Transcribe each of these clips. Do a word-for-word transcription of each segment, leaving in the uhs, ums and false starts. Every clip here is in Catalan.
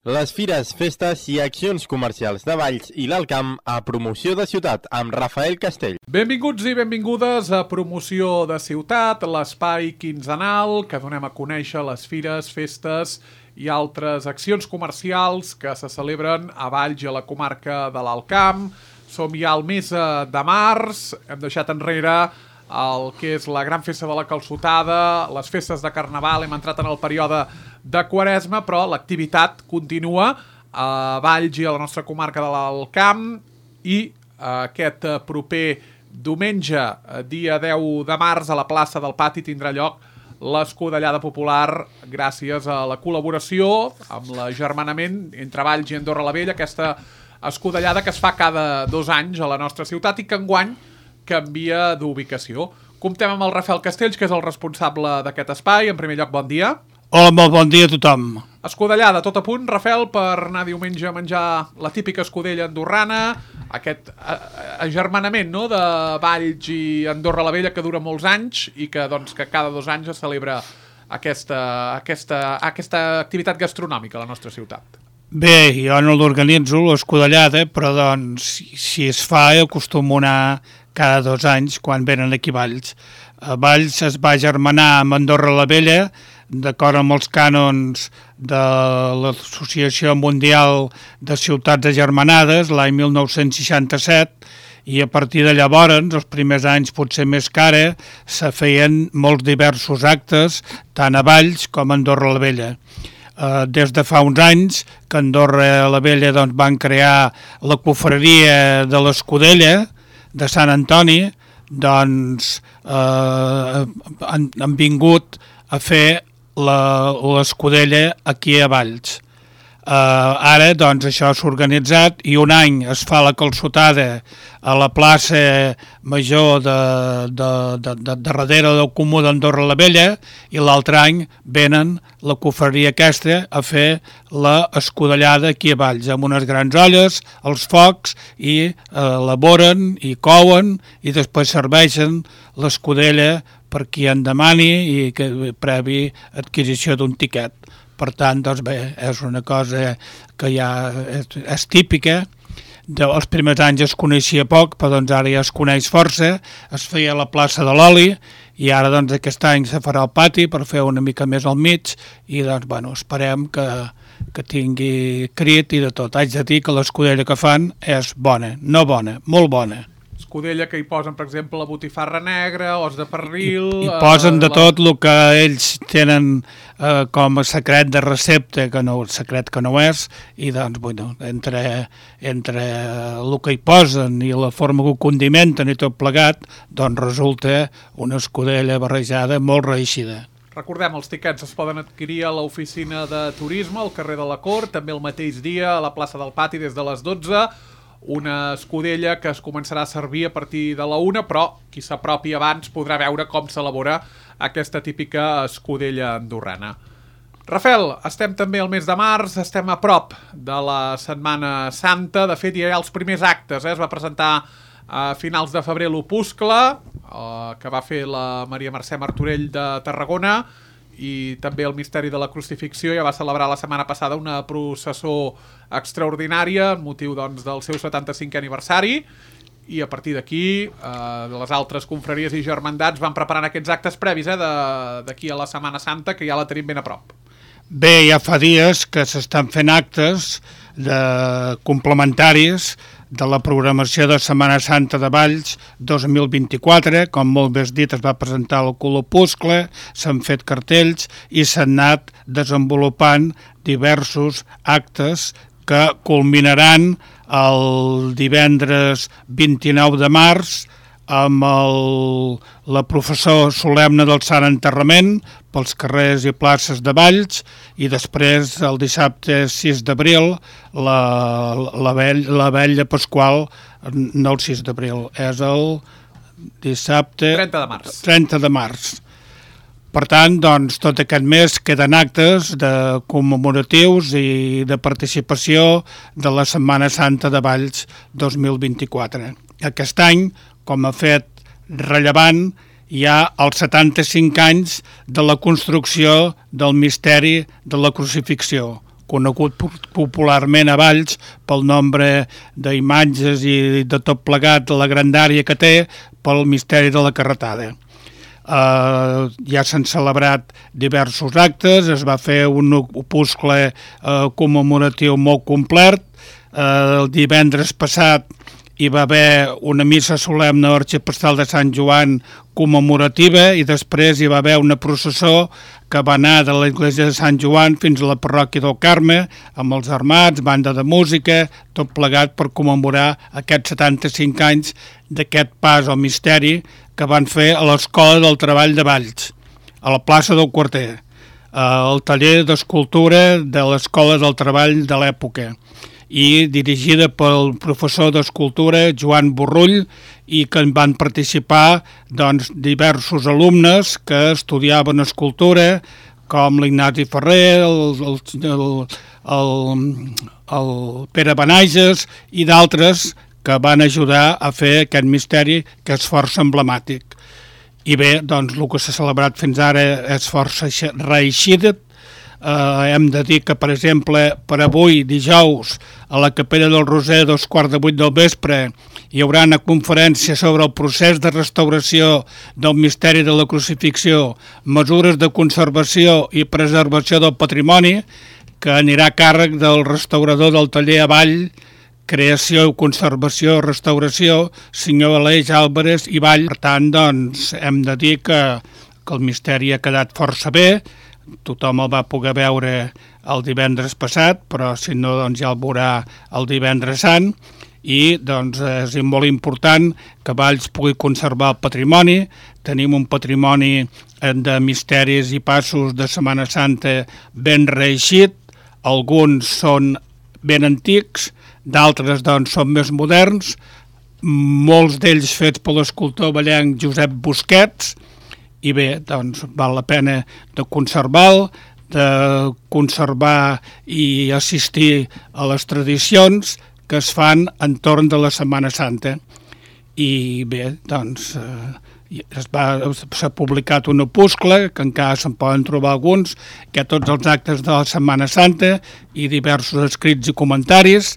Les fires, festes i accions comercials de Valls i l'Alt Camp a Promoció de Ciutat amb Rafael Castell. Benvinguts i benvingudes a Promoció de Ciutat, l'espai quinzenal que donem a conèixer les fires, festes i altres accions comercials que se celebren a Valls i a la comarca de l'Alt Camp. Som ja al mes de març, hem deixat enrere el que és la gran festa de la calçotada, les festes de Carnaval, hem entrat en el període de Quaresma, però l'activitat continua a Valls i a la nostra comarca de l'Alt Camp i aquest proper diumenge, dia deu de març, a la plaça del Pati tindrà lloc l'escudellada popular gràcies a la col·laboració amb l'agermanament entre Valls i Andorra la Vella, aquesta escudellada que es fa cada dos anys a la nostra ciutat i que enguany canvia d'ubicació. Comptem amb el Rafael Castells, que és el responsable d'aquest espai. En primer lloc, bon dia. Hola, molt bon dia a tothom. Escudellada, tot a punt, Rafael, per anar diumenge a menjar la típica escudella andorrana, aquest agermanament, no?, de Valls i Andorra la Vella que dura molts anys i que, doncs, que cada dos anys es celebra aquesta, aquesta, aquesta activitat gastronòmica a la nostra ciutat. Bé, jo no l'organitzo, l'escudellada, però doncs, si es fa, acostumo a anar cada dos anys quan venen aquí a Valls. A Valls es va agermanar amb Andorra la Vella, d'acord amb els cànons de l'Associació Mundial de Ciutats Agermanades, l'any mil nou-cents seixanta-set, i a partir de llavors, els primers anys potser més cara, se feien molts diversos actes, tant a Valls com a Andorra la Vella. Uh, des de fa uns anys que Andorra la Vella doncs, van crear la confraria de l'Escudella de Sant Antoni, doncs uh, han, han vingut a fer l'escudella aquí a Valls. Uh, ara doncs això s'ha organitzat i un any es fa la calçotada a la plaça major de, de, de, de, de darrere del Comú d'Andorra la Vella i l'altre any venen la confraria aquesta a fer l'escudellada aquí a Valls amb unes grans olles, els focs i uh, elaboren i couen i després serveixen l'escudella per qui en demani i que previ adquisició d'un tiquet. Per tant, doncs bé, és una cosa que ja és, és típica. De, els primers anys es coneixia poc, però doncs ara ja es coneix força. Es feia a la plaça de l'Oli i ara doncs aquest any se farà al pati per fer una mica més al mig i doncs bueno, esperem que, que tingui crit i de tot. Haig de dir que l'escudella que fan és bona, no bona, molt bona. Escudella que hi posen, per exemple, la botifarra negra, os de pernil... I, i posen de la... tot el que ells tenen eh, com a secret de recepta, que no, secret que no és, i doncs, bueno, entre, entre el que hi posen i la forma que ho condimenten i tot plegat, doncs resulta una escudella barrejada molt reeixida. Recordem, els tiquets es poden adquirir a l'oficina de turisme, al carrer de la Cort, també el mateix dia a la plaça del Pati des de les dotze, una escudella que es començarà a servir a partir de la una, però qui s'apropi abans podrà veure com s'elabora aquesta típica escudella andorrana. Rafael, estem també al mes de març, estem a prop de la Setmana Santa, de fet ja hi ha els primers actes, eh? Es va presentar a finals de febrer l'Opuscle, eh, que va fer la Maria Mercè Martorell de Tarragona, i també el Misteri de la Crucifixió ja va celebrar la setmana passada una processó extraordinària en motiu doncs, del seu setanta-cinquè aniversari i a partir d'aquí eh, les altres confraries i germandats van preparant aquests actes previs eh, d'aquí a la Setmana Santa que ja la tenim ben a prop. Bé, ja fa dies que s'estan fent actes de complementaris de la programació de Setmana Santa de Valls dos mil vint-i-quatre, com molt bé has dit, es va presentar el Opuscle, s'han fet cartells i s'han anat desenvolupant diversos actes que culminaran el divendres vint-i-nou de març amb el, la professó solemne del Sant Enterrament pels carrers i places de Valls i després el dissabte sis d'abril la, la, vell, la vetlla pasqual, no el sis d'abril, és el dissabte trenta de març. trenta de març. Per tant, doncs, tot aquest mes queden actes de commemoratius i de participació de la Setmana Santa de Valls dos mil vint-i-quatre. Aquest any, com a fet rellevant, hi ha els setanta-cinc anys de la construcció del Misteri de la Crucifixió, conegut popularment a Valls pel nombre d'imatges i de tot plegat, de la grandària que té pel misteri de la carretada. Uh, ja s'han celebrat diversos actes, es va fer un opuscle uh, commemoratiu molt complet. Uh, el divendres passat hi va haver una missa solemne a l'Arxiprestal de Sant Joan commemorativa i després hi va haver una processó que va anar de l'església de Sant Joan fins a la parròquia del Carme amb els armats, banda de música, tot plegat per commemorar aquests setanta-cinc anys d'aquest pas al misteri que van fer a l'Escola del Treball de Valls, a la plaça del Quarter, al taller d'escultura de l'Escola del Treball de l'època, i dirigida pel professor d'escultura Joan Borrull, i que en van participar doncs, diversos alumnes que estudiaven escultura, com l'Ignasi Ferrer, el, el, el, el, el Pere Benages i d'altres que van ajudar a fer aquest misteri que és força emblemàtic. I bé, doncs, el que s'ha celebrat fins ara és força reeixit. Uh, hem de dir que, per exemple, per avui, dijous, a la Capella del Roser, dos quarts de vuit del vespre, hi haurà una conferència sobre el procés de restauració del misteri de la crucifixió, mesures de conservació i preservació del patrimoni, que anirà a càrrec del restaurador del taller Avall, Creació, Conservació, Restauració, senyor Aleix Álvarez i Vall. Per tant, doncs, hem de dir que, que el misteri ha quedat força bé. Tothom el va poder veure el divendres passat, però si no, doncs ja el veurà el divendres sant. I doncs, és molt important que Valls pugui conservar el patrimoni. Tenim un patrimoni de misteris i passos de Setmana Santa ben reeixit. Alguns són ben antics, d'altres doncs, són més moderns, molts d'ells fets per l'escultor vallenc Josep Busquets, i bé, doncs val la pena de conservar-lo, de conservar i assistir a les tradicions que es fan entorn de la Setmana Santa. I bé, doncs es va, s'ha publicat un opuscle, que encara se'n poden trobar alguns, que hi ha tots els actes de la Setmana Santa i diversos escrits i comentaris.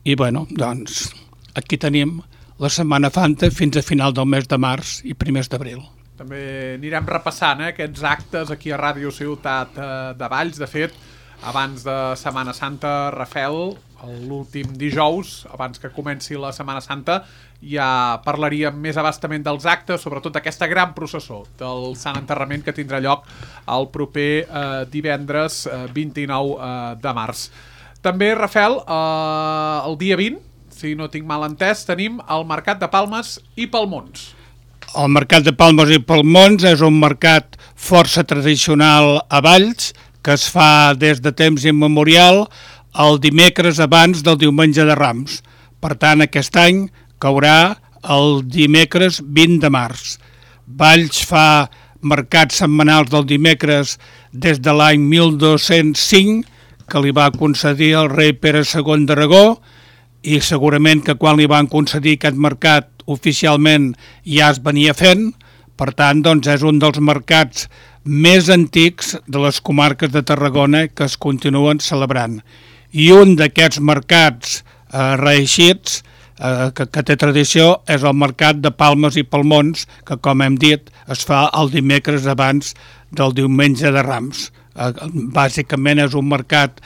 I bueno, doncs aquí tenim la Setmana Santa fins a final del mes de març i primers d'abril. També anirem repassant eh, aquests actes aquí a Ràdio Ciutat eh, de Valls. De fet, abans de Setmana Santa, Rafel, l'últim dijous, abans que comenci la Setmana Santa, ja parlaríem més abastament dels actes, sobretot d'aquesta gran processó del Sant Enterrament que tindrà lloc el proper eh, divendres eh, vint-i-nou eh, de març. També, Rafel, eh, el dia vint, si no tinc mal entès, tenim el Mercat de Palmes i Palmons. El Mercat de Palmes i Palmons és un mercat força tradicional a Valls, que es fa des de temps immemorial el dimecres abans del diumenge de Rams. Per tant, aquest any caurà el dimecres vint de març. Valls fa mercats setmanals del dimecres des de l'any mil dos-cents cinc, que li va concedir el rei Pere segon d'Aragó, i segurament que quan li van concedir aquest mercat oficialment ja es venia fent. Per tant, doncs, és un dels mercats més antics de les comarques de Tarragona que es continuen celebrant. I un d'aquests mercats eh, reeixits eh, que, que té tradició és el Mercat de Palmes i Palmons, que, com hem dit, es fa el dimecres abans del diumenge de Rams. Eh, bàsicament és un mercat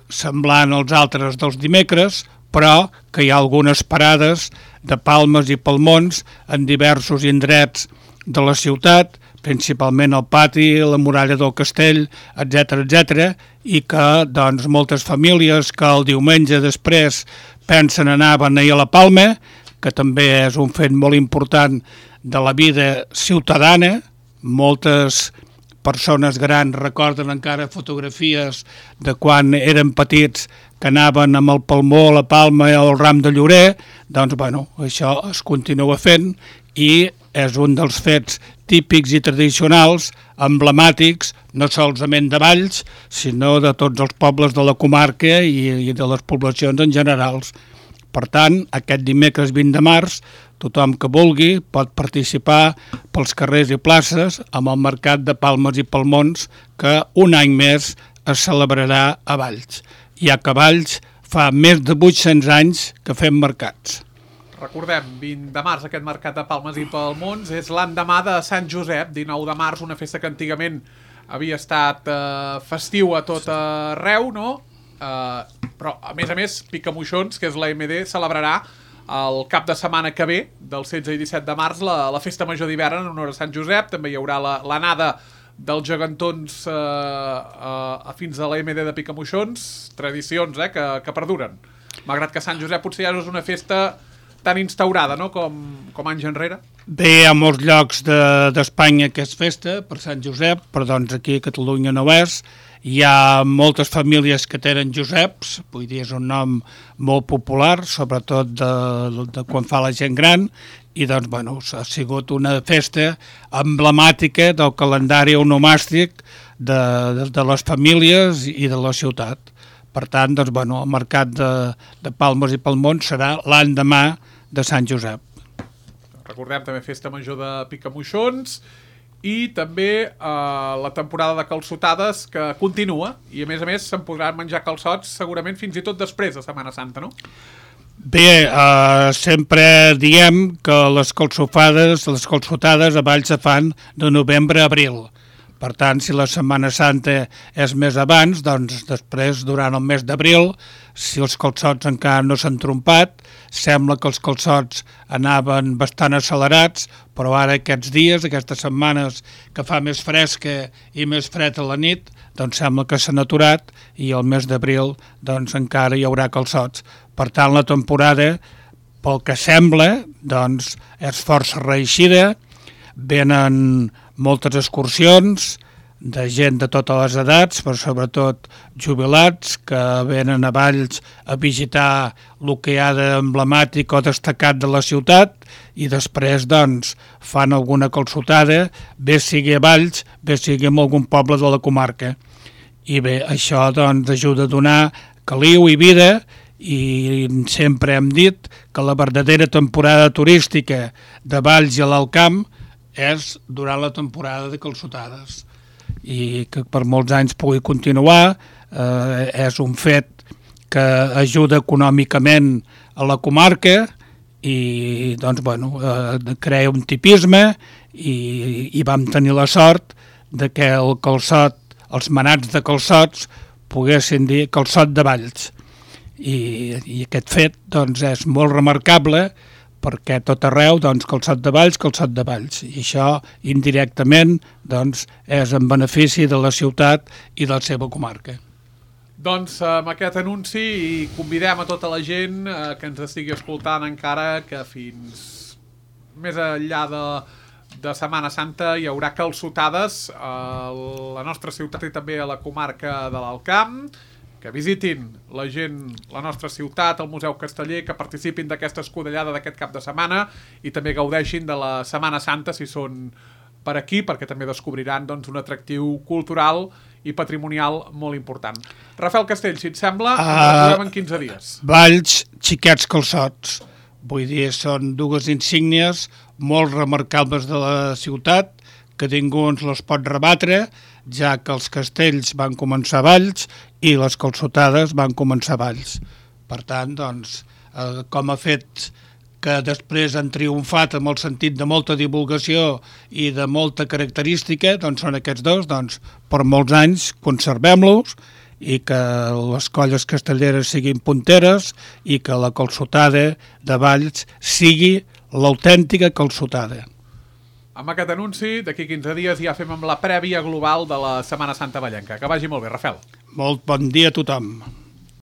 semblant als altres dels dimecres, però que hi ha algunes parades de palmes i palmons en diversos indrets de la ciutat, principalment el pati, la muralla del castell, etcètera, etcètera, i que doncs, moltes famílies que el diumenge després pensen anar a beneir a la Palma, que també és un fet molt important de la vida ciutadana. Moltes persones grans recorden encara fotografies de quan eren petits que anaven amb el palmó, la palma o el ram de llorer. Doncs, bueno, això es continua fent i és un dels fets típics i tradicionals, emblemàtics, no solament de Valls, sinó de tots els pobles de la comarca i, i de les poblacions en generals. Per tant, aquest dimecres vint de març, tothom que vulgui pot participar pels carrers i places amb el Mercat de Palmes i Palmons, que un any més es celebrarà a Valls, ja que a Valls fa més de vuit-cents anys que fem mercats. Recordem, vint de març, aquest mercat de Palmes i Palmons, és l'endemà de Sant Josep, dinou de març, una festa que antigament havia estat eh, festiu a tot arreu, no? Eh, però, a més a més, Picamoixons, que és l'A M D, celebrarà el cap de setmana que ve, del setze i disset de març, la, la festa major d'hivern en honor a Sant Josep. També hi haurà l'anada dels gegantons eh, eh, fins a l'A M D de Picamoixons, tradicions eh, que, que perduren. Malgrat que Sant Josep potser ja no és una festa tan instaurada, no?, com, com anys enrere. Bé, hi ha molts llocs d'Espanya de, que és festa per Sant Josep, però doncs aquí a Catalunya no és. Hi ha moltes famílies que tenen Joseps, vull dir, és un nom molt popular, sobretot de, de quan fa la gent gran, i doncs, bueno, ha sigut una festa emblemàtica del calendari onomàstic de, de, de les famílies i de la ciutat. Per tant, doncs, bueno, el mercat de, de Palmes i Palmons serà l'endemà de Sant Josep. Recordem també festa major de Picamoixons i també eh, la temporada de calçotades que continua i a més a més se'n podran menjar calçots segurament fins i tot després de Setmana Santa, no? Bé, eh, sempre diem que les calçofades, les calçotades a Valls se fan de novembre a abril. Per tant, si la Setmana Santa és més abans, doncs després, durant el mes d'abril, si els calçots encara no s'han trompat, sembla que els calçots anaven bastant accelerats, però ara aquests dies, aquestes setmanes que fa més fresca i més fred a la nit, doncs sembla que s'han aturat i el mes d'abril doncs encara hi haurà calçots. Per tant, la temporada, pel que sembla, doncs és força reeixida, venen moltes excursions de gent de totes les edats, però sobretot jubilats que venen a Valls a visitar el que hi ha d'emblemàtic o destacat de la ciutat i després doncs fan alguna calçotada, bé sigui a Valls, bé sigui en algun poble de la comarca. I bé, això doncs ajuda a donar caliu i vida i sempre hem dit que la verdadera temporada turística de Valls i l'Alt Camp és durant la temporada de calçotades i que per molts anys pugui continuar. Eh, és un fet que ajuda econòmicament a la comarca i doncs, bueno, eh, crea un tipisme i, i vam tenir la sort de que el calçot, els manats de calçots poguessin dir calçot de Valls i, i aquest fet doncs, és molt remarcable perquè tot arreu, doncs, calçot de Valls, calçot de Valls. I això, indirectament, doncs, és en benefici de la ciutat i de la seva comarca. Doncs amb aquest anunci convidem a tota la gent eh, que ens estigui escoltant encara que fins més enllà de, de Setmana Santa hi haurà calçotades a la nostra ciutat i també a la comarca de l'Alt Camp, que visitin la gent, la nostra ciutat, el Museu Casteller, que participin d'aquesta escudellada d'aquest cap de setmana i també gaudeixin de la Setmana Santa si són per aquí, perquè també descobriran doncs, un atractiu cultural i patrimonial molt important. Rafael Castell, si et sembla, ens uh, retrobem en quinze dies. Valls, xiquets calçots. Vull dir, són dues insígnies molt remarcables de la ciutat, que ningú ens les pot rebatre, ja que els castells van començar a Valls i les calçotades van començar a Valls. Per tant, doncs, eh, com a fet que després han triomfat amb el sentit de molta divulgació i de molta característica, doncs són aquests dos, doncs per molts anys conservem-los i que les colles castelleres siguin punteres i que la calçotada de Valls sigui l'autèntica calçotada. Amb aquest anunci, d'aquí quinze dies ja fem amb la prèvia global de la Setmana Santa vallenca. Que vagi molt bé, Rafael. Molt bon dia a tothom.